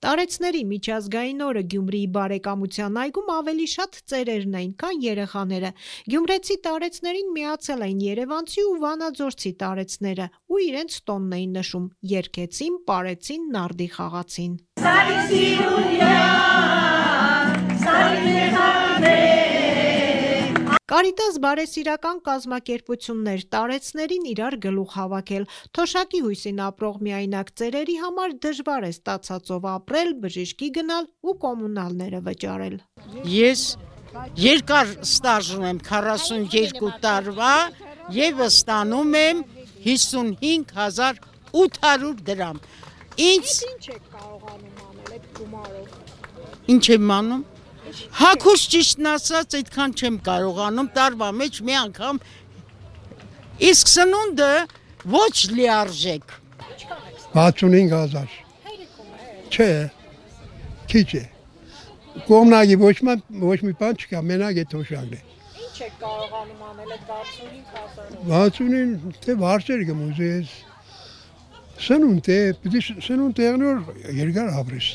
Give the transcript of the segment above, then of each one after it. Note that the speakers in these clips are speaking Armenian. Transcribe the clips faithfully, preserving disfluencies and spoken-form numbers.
Տարեցների միջազգային օրը Գյումրիի բարեկամության այգում ավելի շատ ծերերն էին, քան երեխաները։ Գյումրեցի տարեցներին միացել էին երևանցի ու վանաձորցի տարեցները ու իրենց տոնն էին նշում, երգեցին, պարեցին, նարդի խաղացին։ Կարիտաս բարեսիրական կազմակերպություններ տարեցներին իրար գլուխ հավաքել։ Թոշակի հույսին ապրող միայնակ ծերերի համար դժվար է ստացածով ապրել, բժիշկի գնալ ու կոմունալները վճարել։ Ես երկար ստաժ ունեմ քառասունյոթ տարվա եւ ստանում եմ հիսունհինգ հազար ութ հարյուր դրամ։ Ինչ ինչ եք կարողանում անել այդ գումարով։ Ինչ եմ անում։ Հակուս ճիշտն ասած այդքան չեմ կարողանում տարվա մեջ մի անգամ իսկ սնունդը ոչ լիարժեք վաթսունհինգ հազար չէ քիչ է կողմնակի ոչ մի բան չկա մենակ է թոշակն է Ինչ եք կարողանում անել այդ վաթսունհինգ հազարով վաթսունին թե վարձեր գմուզես սնունդ է պիտի սնունդ եղնոր երկար ապրես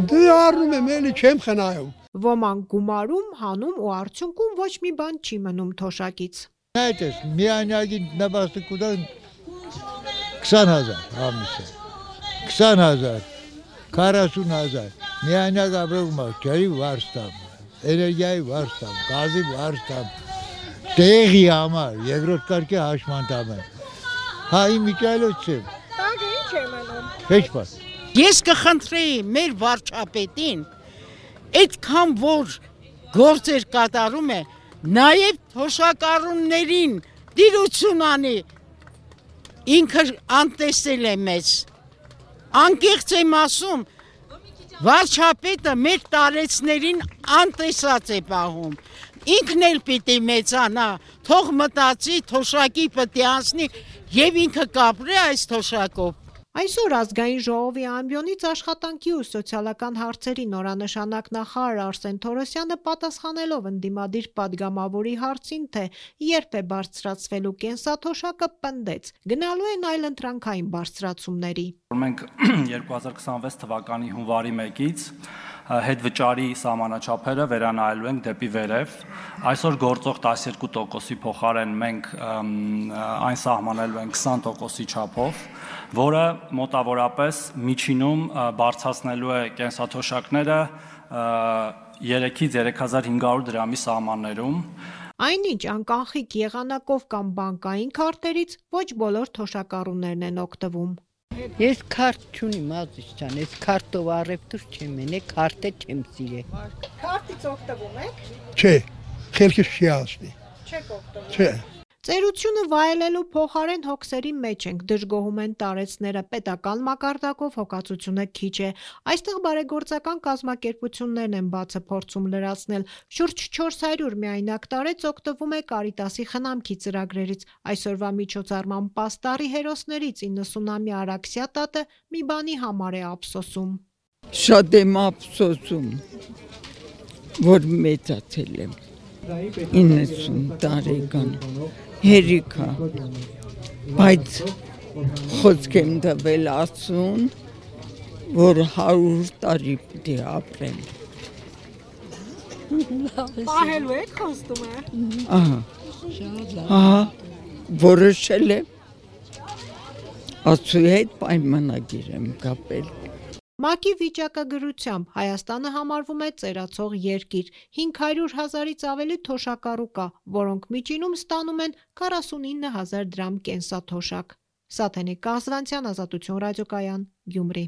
Դե առնում եմ էլի չեմ խնայում Ոմանք գումարում, հանում ու արդյունքում ոչ մի բան չի մնում թոշակից Այդ է, միանյակի նպաստակուտան քսան հազար ամիսը, քսան հազար, քառասուն հազար, միանյակ ապրում է, ջրի վարձ տամ, էներգիայի վարձ տամ, գազի վարձ տամ, տեղի համար, երկրորդ կարգի հաշմանդամ եմ, հա իմ իջայլոց չեմ, Տագը ինչ է մնում, հեչ պար Ես կխնդրեի մեր վարչապետին այդքան որ գործեր կատարում է նաև թոշակառուներին դիրություն անի ինքը անտեսել է մեզ անկեղծ եմ ասում վարչապետը մեր տարեցներին անտեսած է պահում ինքն էլ պիտի մեծանա թող մտածի թոշակի պիտի անցնի եւ ինքը կապրի այս թոշակով Այսօր ազգային ժողովի ամբիոնից աշխատանքի ու սոցիալական հարցերի նորանշանակ նախարար Արսեն Թորոսյանը պատասխանելով ընդդիմադիր պատգամավորի հարցին, թե երբ է բարձրացվելու կենսաթոշակը, պնդեց. գնալու են այլընտրանքային բարձրացումների։ Մենք երկու հազար քսանվեց թվականի հունվարի մեկից հետվճարի սահմանաչափերը վերանայելու ենք դեպի վերև։ Այսօր գործող տասներկու տոկոսի փոխարեն մենք այն սահմանելու ենք քսան տոկոսի չափով, որը մոտավորապես միջինում բարձրացնելու է կենսաթոշակները երեքից երեք հազար հինգ հարյուր դրամի սահմաններում։ Այնինչ անկանխիկ եղանակով կամ բանկային քարտերից ոչ բոլոր թոշակառուներն են օգտվում։ Ես քարտ չունիմ ազիզ ջան, ես քարտով առևտուր չեմ ենե, քարտը չեմ սիրել։ Քարտից օգտվում եք։ Չէ, խելքս չի ասնի։ Չեք օգտվում։ Չէ։ Ծերությունը վայելելու փոխարեն հոգսերի մեջ ենք, դժգոհում են տարեցները, պետական մակարդակով հոգացությունը քիչ է։ Այստեղ բարեգործական կազմակերպություններն են բացը փորձում լրացնել։ Շուրջ չորս հարյուր միայնակ տարեց օգտվում է Կարիտասի խնամքի ծրագրերից։ Այսօրվա միջոցառման պաստառի հերոսներից իննսունամյա Արաքսիա տատը մի բանի համար է ափսոսում։ Շատ եմ ափսոսում, որ մեծացել եմ։ իննսուն տարեկան հերիքա, բայց խոսք եմ տվել ասուն, որ հարյուր տարի պիտի ապրեմ։ Պահելու եք խոստում է։ Ահա, ահա, որոշել եմ, ասուի հետ պայմանագիր եմ կապել։ ՄԱԿ-ի վիճակագրությամբ Հայաստանը համարվում է ծերացող երկիր, հինգ հարյուր հազարից ավելի թոշակառու կա, որոնք միջինում ստանում են քառասունինը հազար դրամ կենսաթոշակ։ Սաթենիկ Կազվանցյան, Ազատություն ռադիոկայան, Գյումրի։